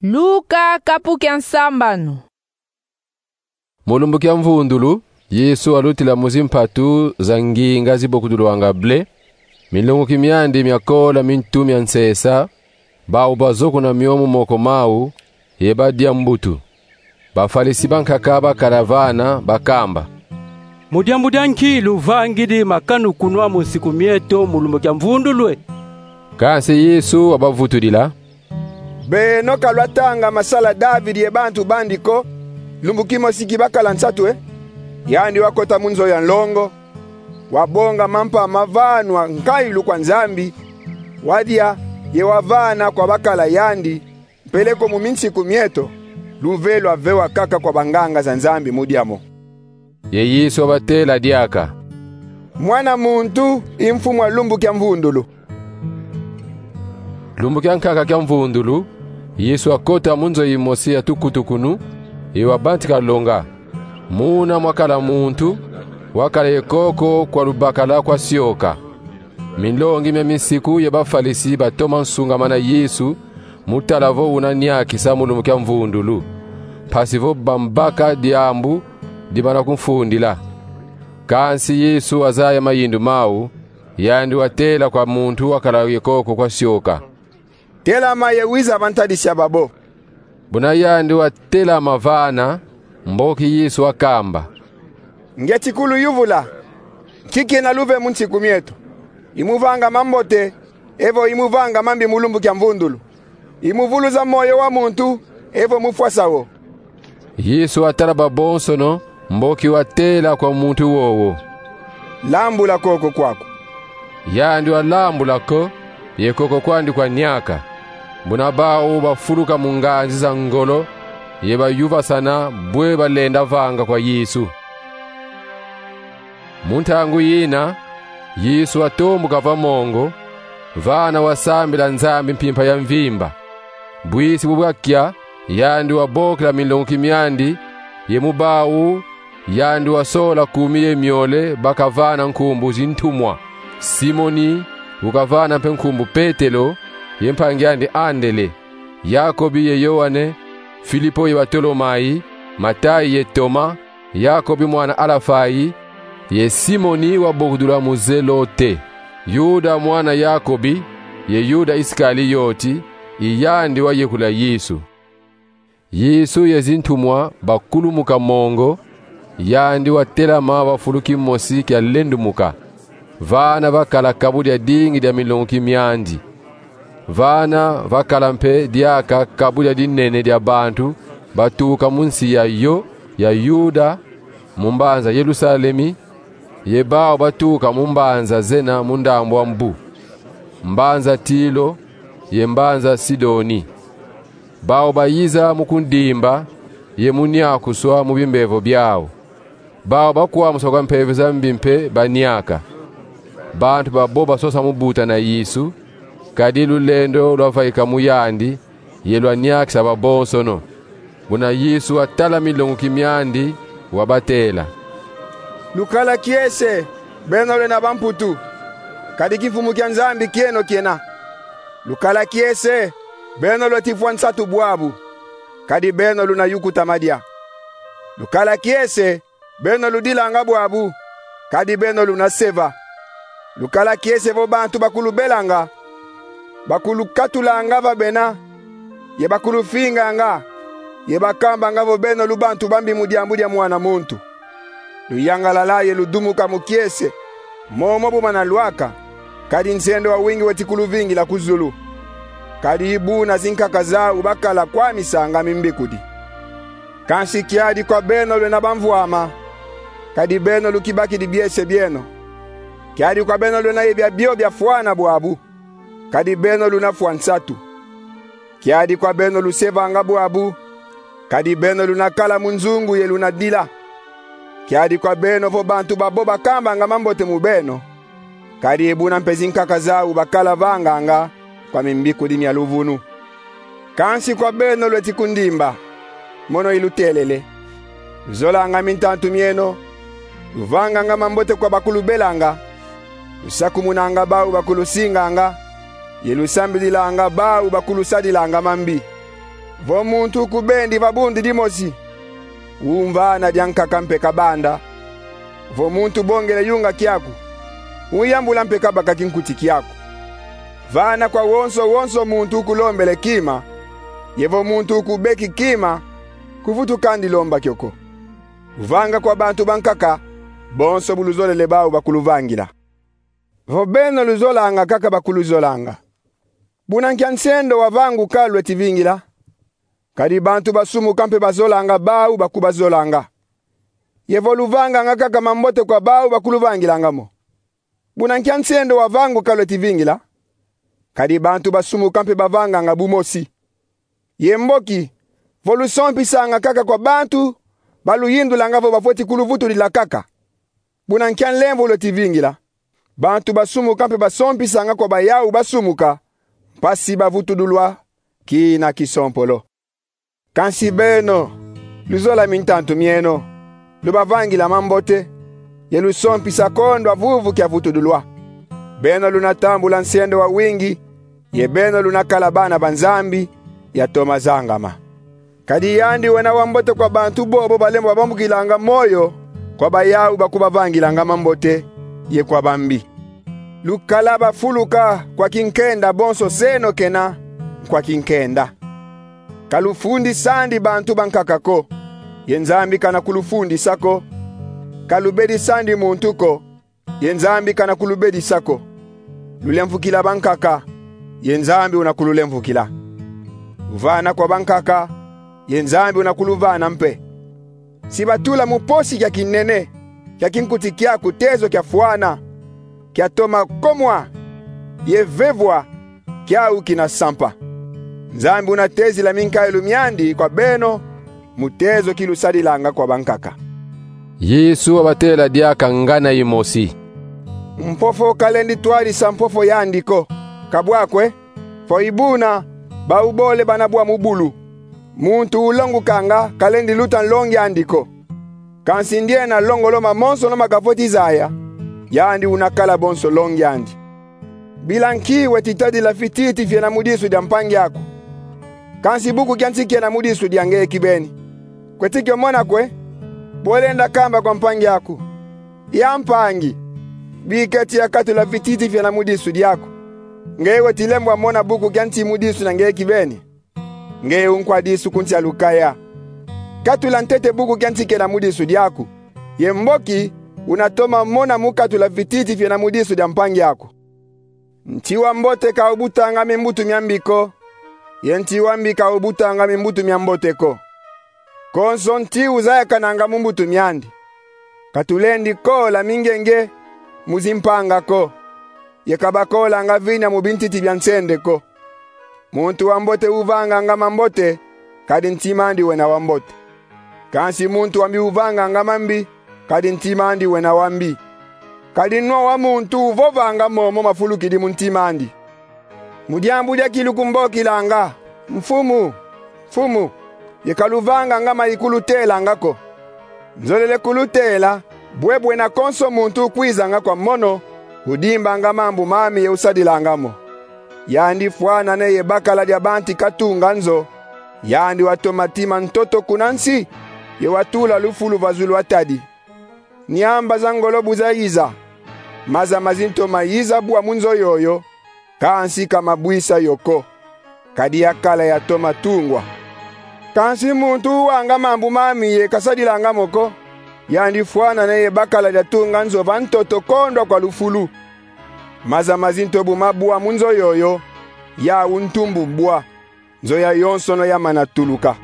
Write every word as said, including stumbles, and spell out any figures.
Luka kapu kia nsambanu. Mu lumbu kia mvundulu, Yesu alutila mu zimpatu za nginga zibokudulwanga ble, minlonguki miandi mia kola mintu mia nsesa, bau bazokuna mio mu moko mau, ye badia mbutu. Bafalisi bankaka bakala vana bakamba: Mu diambu dia nki luvangidi makanu kunwa mu nsiku mieto mu lumbu kia mvundulu e? Kansi Yesu wabavutudila: Beno ka lwatanga masala David ye bantu bandi ko, lumbu kimosi ki bakala nsatu e? Yandi wakota mu nzo ya nlongo, wabonga mampa mavanwa nkayilu kwa Nzambi, wadia ye wavana kwa bakala yandi, mpeleko mu minsiku mieto, luve lwavewa kaka kwa banganga za Nzambi mu dia mo. Ye Yesu wabatela diaka: Mwana muntu i mfumu a lumbu kia mvundulu. Lumbu kia nkaka kia mvundulu, Yesu wakota mu nzo yimosi ya tukutukunu, ye wabantika longa. Muna mwakala muntu wakala ye koko kwa lubakala kwa sioka. Minlongi mia minsiku ye bafalisi batoma nsungamana Yesu, mu tala vo una niakisa mu lumbu kia mvundulu, mpasi vo bambaka diambu dimana kumfundila. Kansi Yesu wazaya mayindu mau, yandi watela kwa muntu wakala ye koko kwa sioka: Telama ye wiza va ntadisi ya babo. Buna yandi watelama vana, mboki Yesu wakamba: Ngieti kuluyuvula: nki kiena luve mu nsiku mieto? I mu vanga mambote, evo i mu vanga mambi mu lumbu kia mvundulu? I mu vuluza moyo wa muntu, evo mu fwasa wo? Yesu watala babonsono, mboki watela kwa muntu wowo: Lambula koko kwaku. Yandi walambula ko, ye koko kwandi kwaniaka. Buna bau bafuluka mu nganzi za ngolo, ye bayuvasana bwe balenda vanga kwa Yesu. Mu ntangu yina, Yesu watombuka va mongo, vana wasambila Nzambi mpimpa ya mvimba. Bwisi bu bwakia, yandi wabokila minlonguki miandi, ye mu bau yandi wasola kumi ye miole bakavana nkumbu zintumwa: Simoni, ukavana mpe nkumbu Petelo, ye mpangi andi Andele, Yakobi ye Yoane, Filipo ye Batolomai, Matai ye Toma, Yakobi mwana Alafai, ye Simoni wabokudula mu Zelote, Yuda mwana Yakobi, ye Yuda Isikalioti, i yandi wayekula Yesu. Yesu ye zintumwa bakulumuka mongo, yandi watelama va fulu kimosi kia lendumuka. Vana vakala kabu dia dingi dia minlonguki miandi. Vana vakala mpe diaka kabu dia dinene dia bantu batuka mu nsi ya yo, ya Yuda, mu mbanza Yerusalemi, ye bau batuka mu mbanza zena mu ndambu a mbu, mbanza Tilo ye mbanza Sidoni. Bau bayiza mu kundimba ye mu niakuswa mu bimbevo biau. Bau bakwamuswa kwa mpeve za mbi mpe baniaka. Bantu babo basosa mu buta na Yesu, kadi lulendo lwavaika mu yandi, ye lwaniakisa babonsono. Buna Yesu watala minlonguki miandi, wabatela: Lukala kiese, beno lwena bamputu, kadi kimfumu kia Nzambi kieno kiena. Lukala kiese, beno lweti fwa nsatu bwabu, kadi beno luna yukuta madia. Lukala kiese, beno ludilanga bwabu, kadi beno luna seva. Lukala kiese vo bantu bakulubelanga, bakulukatulanga va bena, ye bakulufinganga, ye bakambanga vo beno lu bantu bambi mu diambu dia Mwana muntu. Luyangalala ye ludumuka mu kiese, momo bu mana lwaka, kadi nzendo wa wingi weti kuluvingila ku zulu. Kadi i buna zinkaka zau bakala kwamisanga mimbikudi. Kansi kiadi kwa beno lwena bamvwama, kadi beno lukibakidi biese bieno. Kiadi kwa beno lwena ye biabio biafwana bwabu, kadi beno luna fwa nsatu. Kiadi kwa beno lusevanga bwabu, kadi beno luna kala mu nzungu ye luna dila. Kiadi kwa beno vo bantu babo bakambanga mambote mu beno, kadi i buna mpe zinkaka zau bakala vanganga kwa mimbikudi mia luvunu. Kansi kwa beno lweti kundimba, mono ilutelele. Luzolanga mintantu mieno, luvanganga mambote kwa bakulubelanga, lusakumunanga bau bakulusinganga, ye lusambililanga bau bakulusadilanga mambi. Vo muntu ukubendi va bundu dimosi, umvana diankaka mpe kabanda. Vo muntu ubongele yunga kiaku, uyambula mpe kabaka kinkuti kiaku. Vana kwa wonso wonso muntu ukulombele kima, ye vo muntu ukubeki kima, kuvutu kandi lomba kio ko. Uvanga kwa bantu bankaka bonso bu luzolele bau bakuluvangila. Vo beno luzolanga kaka bakuluzolanga, buna nkia nsendo wa vanguka lweti vingila? Kadi bantu basumuka mpe bazolanga bau bakubazolanga. Ye vo luvanganga kaka mambote kwa bau bakuluvangilanga mo, buna nkia nsendo wa vanguka lweti vingila? Kadi bantu basumuka mpe bavanganga bu mosi. Ye mboki, vo lusompisanga kaka kwa bantu baluyindulanga vo bafweti kuluvutudila kaka, buna nkia nlemvo lweti vingila? Bantu basumuka mpe basompisanga kwa bayau basumuka, mpasi bavutudulwa kina kisompolo. Kansi beno, luzola mintantu mieno, lubavangila mambote, ye lusompisa kondwa vuvu kia vutudulwa. Beno luna tambula nsendo wawingi, ye beno luna kala bana ba Nzambi, yatoma zangama. Kadi yandi wena wambote kwa bantu bobo balembo babambukilanga moyo, kwa bayau bakubavangilanga mambote, ye kwa bambi. Lukala bafuluka kwa kinkenda bonso seno kena kwa kinkenda. Ka lufundisandi bantu bankaka ko, ye Nzambi kana kulufundisa ko. Ka lubedisandi muntu ko, ye Nzambi kana kulubedisa ko. Lulemvukila bankaka, ye Nzambi una kululemvukila. Luvana kwa bankaka, ye Nzambi una kuluvana mpe. Si batula mu posi kia kinene kia kinkuti kiaku tezo kiafwana, kiatoma komwa, ye vevwa, kiau kina sampa. Nzambi una tezila minkayulu miandi kwa beno mu tezo ki lusadilanga kwa bankaka. Yesu wabatela diaka ngana imosi: Mpofo kalendi twadisa mpofo yandi ko, ka bwa kwe? Vo i buna, bau bole bana bwa mu bulu. Muntu ulongukanga kalendi luta nlongi andi ko. Kansi ndiena longolo mamonsono makafweti zaya, yandi una kala bonso longi andi. Bila nki weti tadila fititi fiena mu disu dia mpangi aku, kansi buku kia nsi kiena mu disu dia ngeye kibeni? Kweti kio mona kwe? Bwe lenda kamba kwa mpangi aku: Ya mpangi, biketi yakatula fititi fiena mu disu diaku, ngeye weti lembwa mona buku kia nsi mu disu dia ngeye kibeni? Ngeye unkwa disu ku nsi a lukaya, katula ntete buku kia nsi kiena mu disu diaku, ye mboki una toma mona mu katula fititi fiena mu disu dia mpangi aku. Nti wa mbote ka ubutanga mimbutu mia mbi ko, ye nti wa mbi ka ubutanga mimbutu mia mbote ko. Konso nti uzayakananga mu mbutu miandi. Ka tulendi kola mingenge mu zimpanga ko, ye ka bakolanga vina mu bintiti bia nsende ko. Muntu wa mbote uvanganga mambote, kadi ntima andi wena wa mbote. Kansi muntu wa mbi uvanganga mambi, kadi ntima andi wena wa mbi. Kadi nwa wa muntu uvovanga momo mafulukidi mu ntima andi. Mu diambu diaki lukumbokilanga: Mfumu, Mfumu, ye ka luvanganga ma ikulutelanga ko. Nzolele kulutela, bwe bwena konso muntu ukwizanga kwa mono, udimbanga mambu mami ye usadilanga mo. Yandi fwana neye bakala dia bantu katunga nzo, yandi watoma tima ntoto kuna nsi, ye watula lufulu va zulu atadi. Niamba za ngolo bu zayiza, maza mazintoma yiza bwa mu nzo yoyo, kansi ka mabwisa yo ko, kadi yakala yatoma tungwa. Kansi muntu uwanga mambu mami ye kasadilanga mo ko, yandi fwana neye bakala dia tunga nzo va ntoto kondwa kwa lufulu. Maza mazinto bu mabwa mu nzo yoyo, yau ntumbu bwa, nzo yayonsono yamana tuluka.